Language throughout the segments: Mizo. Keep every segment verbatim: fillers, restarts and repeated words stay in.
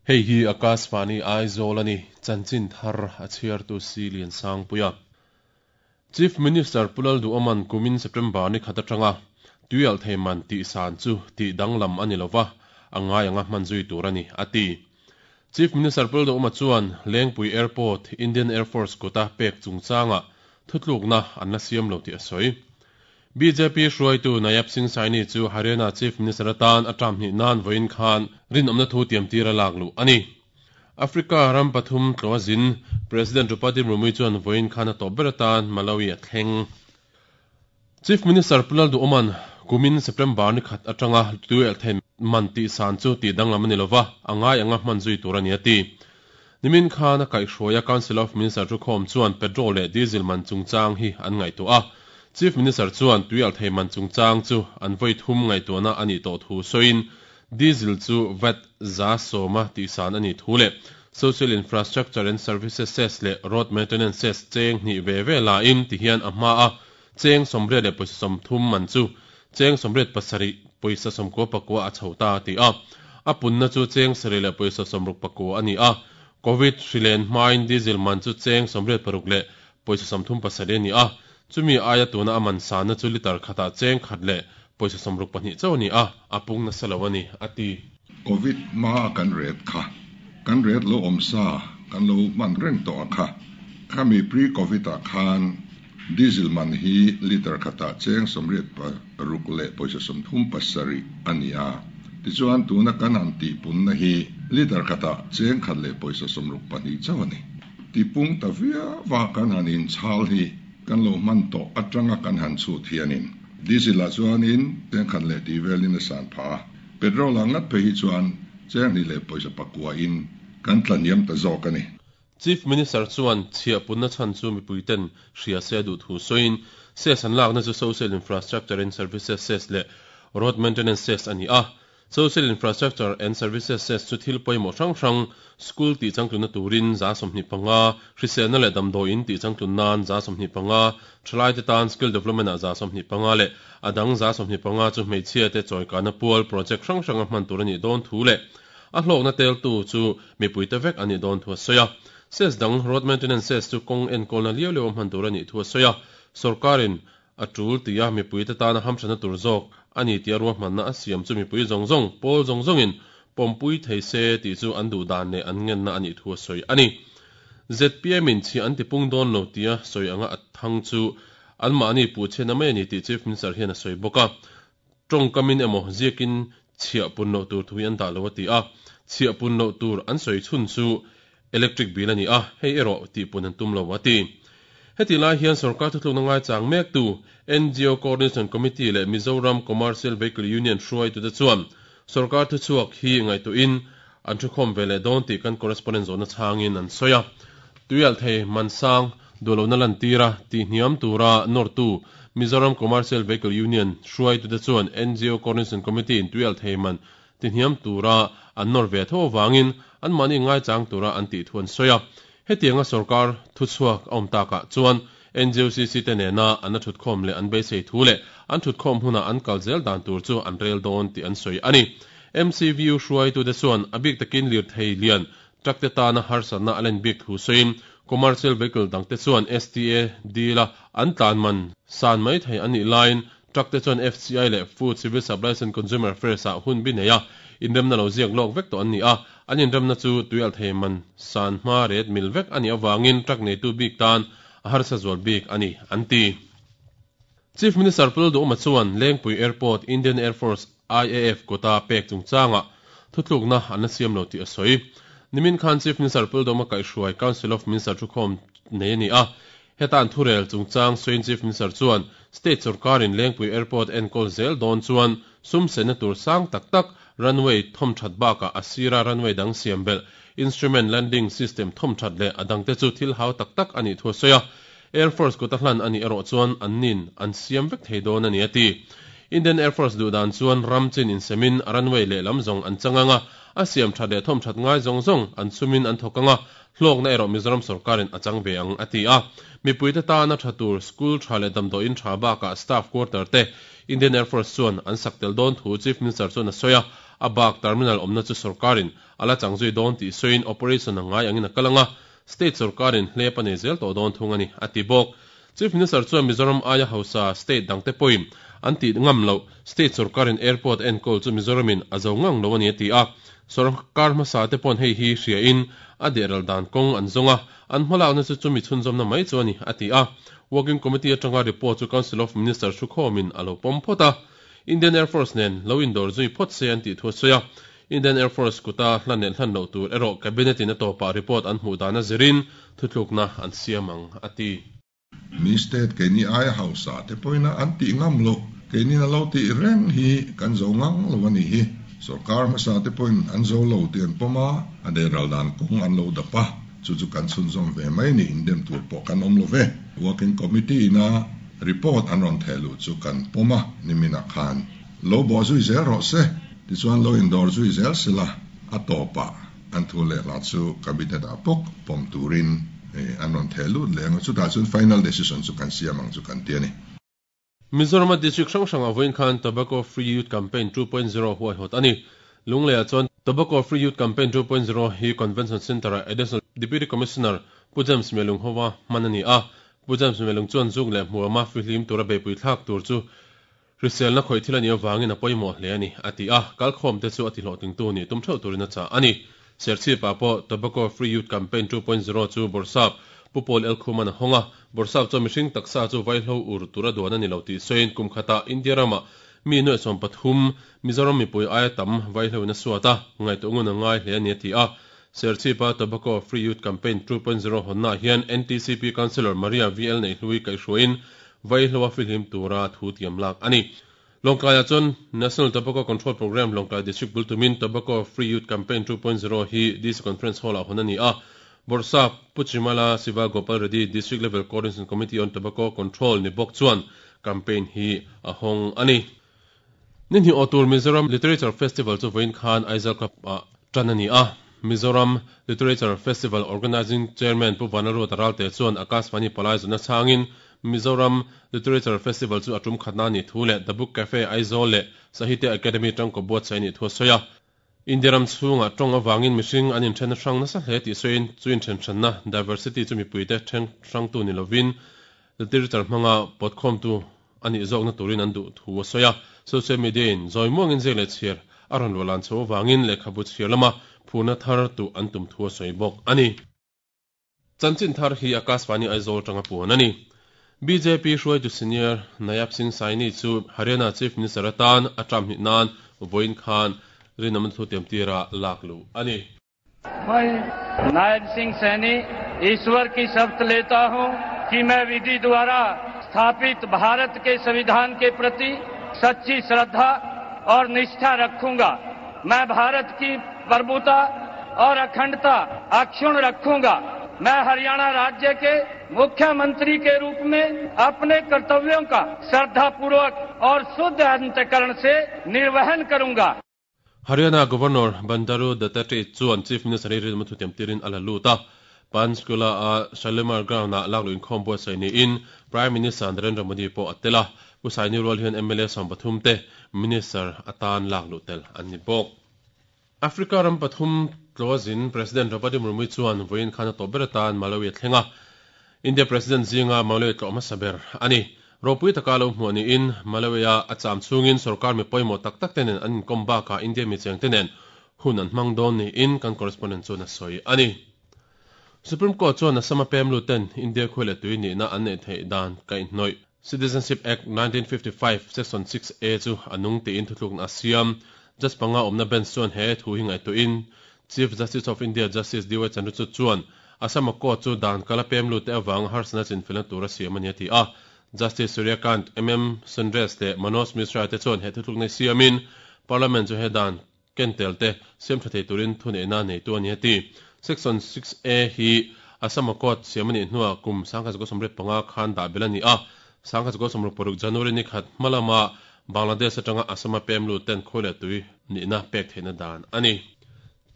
Hei hi Akashvani Aizawl ani chanchin thar a chhiartu si lian sang puia. Chief Minister Pulal du Oman kumin September ni khat atanga tuial theiman ti san chu ti danglam ani lova angai anga hmanzui tur ani ati. Chief Minister Pulal du Oma chuan Lengpui Airport Indian Air Force kota pek chungchanga thutlukna an la siam lo ti a sawi. B J P hruaitu Nayab Singh Saini chu Haryana Chief Minister atan atam ni nan voin khan rin omna thu tiam tira lak lu ani. Africa ram pathum tlawazin President Draupadi Murmu chuan voin khan a topber atan Malawi a thleng. Chief Minister Pulal du Oman kumin September ni khat atanga tuel them man ti san chu ti danglam ani lova angai anga hmanzui tur ani ati. Nimin khan a kai hruaia Council of Minister chu khom chuan petrol leh diesel man chungchang hi an ngai tu a. Chief Minister chuan tuial theiman chungchang chu an voi thum ngai tu na ani to thu soin diesel chu vat za soma ti san ani thu le social infrastructure and services cess le road maintenance cess cheng ni ve ve la in ti hian a hma a cheng somre le poisa som thum man chu cheng somret pasari poisa som ko pakwa a chhota ti a apunna chu cheng sare le poisa somruk pakwa ani a covid hrilen hmain diesel man chu cheng somret paruk le poisa som thum pasari ani a chumi aya tuna aman sana chu liter khata cheng khat le poisa somruk pahnih chaw ni a apung na salawani ati. Covid ma kan ret kha kan ret lo omsa kan lo man reng to kha khami pre covid a khan diesel man hi liter khata cheng somret pa ruk le poisa som thum pasari ania ti chuan tuna kan an ti pun na hi liter khata cheng khat le poisa somruk pahnih chaw ani ti pung ta via wa kan hanin chal hi kan lo man to atanga kan han chu thianin diesel la chuanin cheng khat le ti velin a san pha petrol angat pe hi chuan cheng ni le poisa pakwa in kan tlaniam ta zawk ani. Chief Minister chuan chhia punna chan chu mipuiten hria se du thu soin se san lak na chu social infrastructure and services cess le road maintenance cess ani a. Social infrastructure and services cess chu thil pawimawh hrang hrang school ti changtluna turin za sawmhnih panga hriselna leh damdawiin ti changtlun nan za sawmhnih panga thalai te tan skill development ah za sawmhnih panga leh adang za sawmhnih panga chu hmeichhia te chawikana pual project hrang hrang a hman tur ani dawn thu leh a hlawkna tel tu chu mipui te vek ani dawn thu a sawi a. Cess dang road maintenance cess chu kawng enkawlna liau liau a hman tur ani thu a sawi a. Sarkarin a tul tia mipui te tana hamthana tur zawk ani tia ruahmanna a siam chu mipui zawng zawng pawl zawng zawngin pawmpui thei se ti chu an duh dan leh an ngenna ani thu a sawi ani. Z P M in chi an tipung dawn lo tia sawi anga a thang chu an mahni pu chhena mai ani tih Chief Minister hian a sawi bawk a. Tawng kamin emaw ziakin chhia pun lo tur thui an dah lo a ti a. Chhia pun lo tur an sawi chhun chu electric bill ani a hei erawh tih pun an tum lo a ti. Heti lai hian sarkar thutlukna ngai chang mek tu N G O Coordination Committee le Mizoram Commercial Vehicle Union hruai tu te chuan sarkar thu chhuak hi ngai tu in an thu khawm ve leh dawn tih kan correspondent zawhna changin an sawi a. Tuial thei mansang duhlona lan tira ti hniam tura nawr tu Mizoram Commercial Vehicle Union hruai tu te chuan N G O Coordination Committee in tuial thei man ti hniam tura an nawr ve tho wangin an mani ngai chang tura an tih thu an sawi a. Hetianga sarkar thu chhuak a awm takah chuan N G O C C te nena an a thut khawm leh an beisei thu leh an thut khawm huna an kal zel dan tur chu an rel dawn tih an sawi ani. M C V U hruai tu te chuan a bik takin lir thei lian truck te tana harsatna a len bik thu sawiin commercial vehicle dang te chuan S T A deal a an tlan man san mai thei ani line truck te chuan F C I leh Food Civil Supplies and Consumer Affairs ah hun bi nei a inremna lo ziak lawk vek to an ni a an inremna chu tuial thei man san hma ret mil vek ani awangin truck nei tu bik tan a harsa zual bik ani an ti. Chief Minister Pulal du Oma chuan Lengpui Airport Indian Air Force I A F kota pek chungchanga thutlukna an la siam lo tih a sawi. Nimin khan Chief Minister Pulal du Oma kaihhruai Council of Minister thu khawm nei ani a. Hetan thurel chungchang sawiin Chief Minister chuan State sarkarin Lengpui Airport enkawl zel dawn chuan sum sena tur sang tak tak runway thom that baka asira runway dang siam bel instrument landing system thom that le adang te chu thil hau tak tak ani thu sawi a. Air Force kota hlan ani erawh chuan an nin an siam vek thei dawn ani ati. Indian Air Force du dan chuan ramchin in semin runway leh lam zawng an changanga a siam that leh thom that ngai zawng zawng an sumin an thawkanga hlawk na erawh Mizoram sarkarin a chang ve ang ati a. Mipui te tana tha tur school tha leh damdawiin tha bakah staff quarter te Indian Air Force chuan an sak tel dawn thu Chief Minister chuan a sawi a. A bak terminal awmna chu sorkarin ala changzui dawn tih sawiin operation angai angin a kalanga state sorkarin hlep a nei zel tawh dawn thung ani a ti bawk. Chief Minister chuan Mizoram aia hausa state dangte pawhin an ti ngam lo state sorkarin airport enkawl chu Mizoramin a zo ngang lo ani a ti a. Sorkar hmasa te pawn hei hi hria in a deral dan kawng an zawnga an hmalakna chu chumi chhunzawmna mai chu ani a ti a. Working Committee atanga report chu Council of Ministers thu khawmin a lo pawm phawt a. Indian Air Force nen lo indawr zui phawt se an tih thu a sawi a. Indian Air Force kuta hlan leh hlan loh tur erawh cabinet in a tawpah report an hmuh dan a zirin thutlukna an siam ang a ti. Mi state keini aia hausa te pawhin an tih ngam lo keini na lo tih reng hi kan zo ngang lo ani hi. Sorkar hmasa te pawhin an zo lo ti an pawm a, a deral dan kawng an lo dap a, chu chu kan chhunzawm ve mai ni indem tur pawh kan awm lo ve. Working Committee ina report an rawn theh luh chu kan pawm a nimina khan lo bawh zui zel rawh se tichuan lo indawr zui zel sela a tawpah an thu leh hla chu cabinet ah pawk pawm turin an rawn theh lut leh ang chutah chuan final decision chu kan siam ang chu kan ti ani. Mizoram district hrang hrang a vawiin khan Tobacco Free Youth Campaign two point zero huaihawt ani. Lungleiah chuan Tobacco Free Youth Campaign two point zero hi Convention Centre ah Additional Deputy Commissioner Pu James Melung Hova hman ani a. Pu James Melung chuan zuk leh hmuama fihlim tura beipui thlak tur chu hriselna khawih thil ani awangin a pawimawh hle ani a ti a. Kalkhawm te chu a ti hlawhtling tu ni tum theuh turin a chah ani. Serchhip ah pawh Tobacco Free Youth Campaign two point zero chu Bawrhsap Pu Paul El Khuman a hawng a. Bawrhsap chuan mihring taksa chu vaihlo ur tura duan ani lo tih sawiin kum khatah India ramah mi nuaih sawm pathum Mizoram mipui aia tam vaihlo in a suat a, ngaihtuah ngun a ngai hle ani a ti a. Serchhip-a Tobacco Free Youth Campaign two point zero hawnnaah hian N T C P Councillor Maria V L Neihlui kaihhruaiin vaihlo a fihlim tura thu tiam lak ani. Lawngtlaiah chuan National Tobacco Control Programme Lawngtlai District bul tumin Tobacco Free Youth Campaign two point zero hi D C Conference Hall-ah hawn ani a. Bawrhsap Pu Chimala Siva Gopal Reddy District Level Coordination Committee on Tobacco Control ni bawk chuan campaign hi a hawng ani. Ni hnih aw tur Mizoram Literature Festival chu vawiin khan Aizawl Club ah tan ani a. Mizoram Literature Festival Organising Chairman Pu Vanlalruata Ralte chuan Akashvani palai zawhna chhangin Mizoram Literature Festival chu a tum khatna ni thu leh The Book Cafe Aizawl leh Sahitya Academy tangkaw buatsaih ni thu a sawi a. India ram chhungah tawng awangin mihring an inthen hrang nasa hle tih sawiin chu inthen hranna diversity chu mipuite then hrangtu ni lovin literature hmanga pawtkhawmtu ani zawkna turin an duh thu a sawi a. Social media in zawi muangin ziak leh chhiar a rawn luah lan chho awangin lehkhabu chhiar lama phurna thar tu an tum thu a sawi bawk ani. Chanchin thar hi Akashvani Aizawl tanga puan ani. B J P hruaitu senior Nayab Singh Saini chu Haryana Chief Minister atan a term hnih nan vawiin khan rinawm thu tiam tira lak luh ani. मैं नायब सिंह सैनी ईश्वर की शपथ लेता हूं कि मैं विधि द्वारा स्थापित भारत के संविधान के प्रति सच्ची श्रद्धा और निष्ठा रखूंगा। मैं भारत की प्रभुता और अखंडता अक्षुण्ण रखूंगा। मैं हरियाणा राज्य के मुख्यमंत्री के रूप में अपने कर्तव्यों का श्रद्धापूर्वक और शुद्ध अंतःकरण से निर्वहन करूंगा। Haryana Governor Bandaru Dattatreya chuan Chief Minister hi rilmu thu tiam tirin a la lut a. Panchkula a Shalimar Ground ah lak luh inkhawm buatsaih niin Prime Minister Narendra Modi pawh a tel a. Pu Saini rual hian M L A sawm pathum te Minister atan lak luh tel an ni bawk. Africa ram pathum tlawzin President Draupadi Murmu chuan vawiin khan a tawp ber atan Malawi a thleng a. India President zinga Malawi tlawh hmasa ber ani. Ropui taka lo hmuh niin Malawi a a cham chungin sarkar mi pawimawh tak tak te nen an inkom bakah India mi cheng te nen hun an hmang dawn niin kan correspondent chuan a sawi ani. Supreme Court chuan Assam a pem luten India khuai leh tui nihna an neih theih dan kaihhnawih Citizenship Act nineteen fifty-five Section six A chu a nung tiin thutlukna a siam. Judge panga awmna bench chuan he thu hi ngaihtuahin Chief Justice of India Justice D Y Chandrachud chuan Assam a court chu dan kala pem lut te awang harsana chinfelna tur a siam ani a ti a. Justice Suryakant M M Sundres te Manoj Mishra te chuan he thutlukna siamin Parliament chu he dan kentel te siam tha thei turin thu neihna nei tu ani a ti. Section six A hi Assam a court siam ani hnuah kum sangkhat zakua sawmriat panga khan dah bel ani a. Sangkhat zakua sawmruk paruk January ni khat hmalama Bangladesh atanga Assam a pem lut ten khawi leh tui nihna pek theihna dan ani.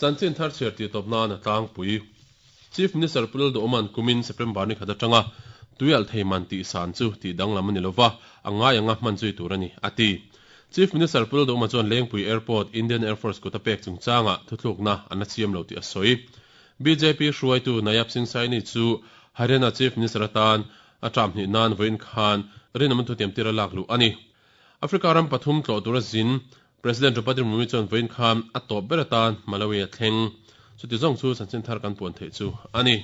Chanchin thar chhiar ti tawpna na tlangpui Chief Minister Pulal Duhman kumin September ni khat atanga tuial thei man ti san chu ti danglam ani lova angai anga hman zui tur ani ati. Chief Minister Pu Lalduhoma chuan Lengpui Airport Indian Air Force kuta pek chungchanga thuthlukna an la siam lo tih a sawi. B J P hruaitu Nayab Singh Saini chu Haryana Chief Minister atan a term hnih nan vawiin khan rinawm thutiam tira lak luh a ni. Africa ram pathum tlawh tura zin President Draupadi Murmu chuan vawiin khan a tawp ber atan Malawi a thleng. Chuti zawng chu chanchin thar kan puan theih chu a ni.